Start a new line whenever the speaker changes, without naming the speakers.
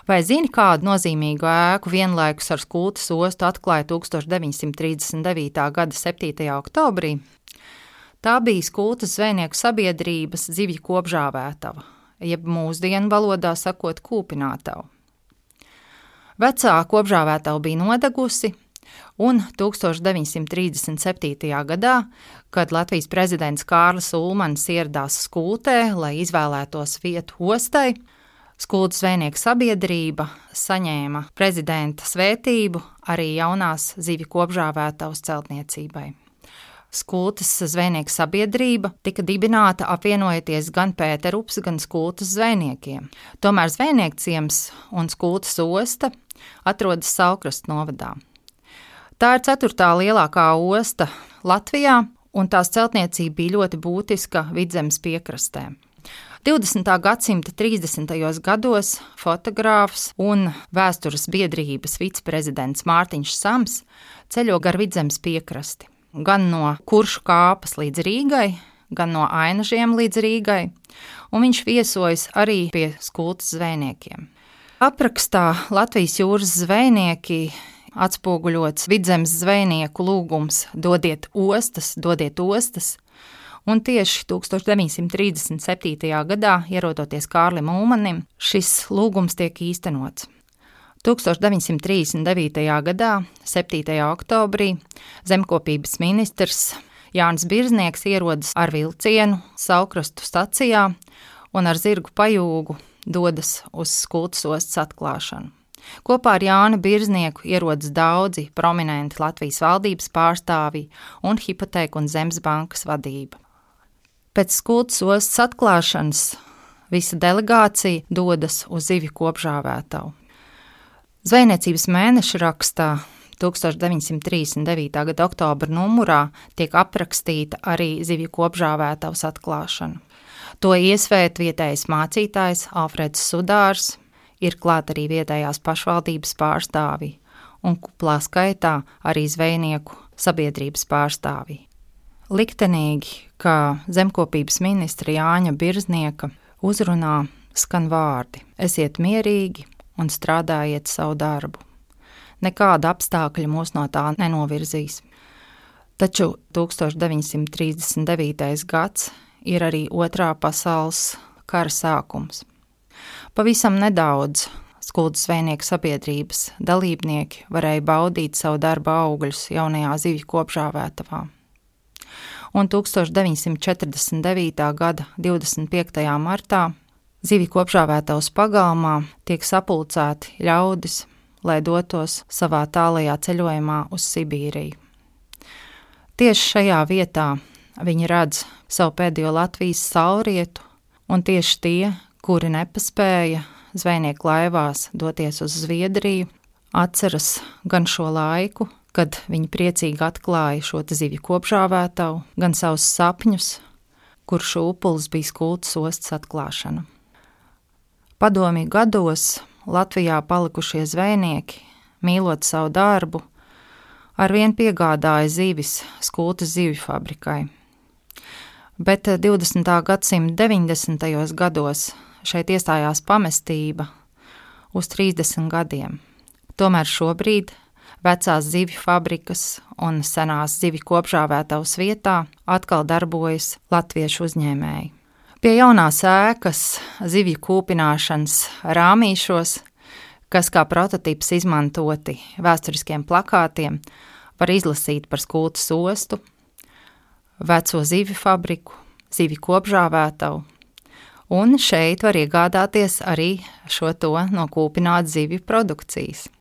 Vai zini, kādu nozīmīgu ēku vienlaikus ar Skultes ostu atklāja 1939. gada 7. oktobrī? Tā bija Skultes zvejnieku sabiedrības zivju kopžāvētava, jeb mūsdienu valodā sakot kūpinātava. Vecā kopžāvētava bija nodegusi, un 1937. gadā, kad Latvijas prezidents Kārlis Ulmanis ieradās Skultē, lai izvēlētos vietu ostai, Skultes zvejnieku sabiedrība saņēma prezidenta svētību arī jaunās zivju kopžāvētavas celtniecībai. Skultes zvejnieku sabiedrība tika dibināta apvienojoties gan Pēterupas, gan Skultes zvejniekiem. Tomēr zvejniekciems un Skultes osta atrodas Saulkrastu novadā. Tā ir 4. lielākā osta Latvijā, un tās celtniecība bija ļoti būtiska Vidzemes piekrastē. 20. gadsimta 30. gados fotogrāfs un vēstures biedrības viceprezidents Mārtiņš Sams ceļo gar Vidzemes piekrasti, gan no Kuršu kāpas līdz Rīgai, gan no Ainažiem līdz Rīgai, un viņš viesojas arī pie Skultes zvejniekiem. Aprakstā Latvijas jūras zvejnieki atspoguļots Vidzemes zvejnieku lūgums dodiet ostas, un tieši 1937. gadā, ierodoties Kārlim Ulmanim, šis lūgums tiek īstenots. 1939. gadā, 7. oktobrī, zemkopības ministrs Jānis Birznieks ierodas ar vilcienu Saulkrastu stacijā un ar zirgu pajūgu dodas uz Skultes ostas atklāšanu. Kopā ar Jāni Birznieku ierodas daudzi prominenti Latvijas valdības pārstāvji un hipotēku un zemes bankas vadība. Pēc Skultes ostas atklāšanas visa delegācija dodas uz zivju kopžāvētavu. Zvejniecības mēneša rakstā 1939. gada oktobra numurā tiek aprakstīta arī zivju kopžāvētavas atklāšana. To iesvēta vietējais mācītājs Alfreds Sudārs, ir klāt arī vietējās pašvaldības pārstāvji un kuplā skaitā arī zvejnieku sabiedrības pārstāvji. Liktenīgi, ka zemkopības ministra Jāņa Birznieka uzrunā skan vārdi: esiet mierīgi un strādājiet savu darbu. Nekāda apstākļa mūs no tā nenovirzīs. Taču 1939. gads ir arī Otrā pasaules kara sākums. Pavisam nedaudz Skultes zvejnieku sabiedrības dalībnieki varēja baudīt savu darba augļus jaunajā zivju kopžāvētavā. Un 1949. gada 25. martā zivju kopžāvētavas pagalmā tiek sapulcēti ļaudis, lai dotos savā tālajā ceļojumā uz Sibīriju. Tieši šajā vietā viņi redz savu pēdējo Latvijas saulrietu, un tieši tie, kuri nepaspēja zvejnieku laivās doties uz Zviedriju, atceras gan šo laiku, kad viņi priecīgi atklāja šo zivju kopžāvētavu, gan savus sapņus, kur šūpulis bija Skultes ostas atklāšana. Padomju gados Latvijā palikušie zvejnieki, mīlot savu darbu, arvien piegādāja zivis Skultes zivju fabrikai. Bet 20. gadsimta 90. gados šeit iestājās pamestība uz 30 gadiem. Tomēr šobrīd vecās zivju fabrikas un senās zivju kopžāvētavas vietā atkal darbojas latviešu uzņēmēji. Pie jaunās ēkas zivju kūpināšanas rāmīšos, kas kā prototips izmantoti vēsturiskiem plakātiem, var izlasīt par Skultes ostu, veco zivju fabriku, zivju kopžāvētavu, un šeit var iegādāties arī šo to no kūpinātu zivju produkcijas.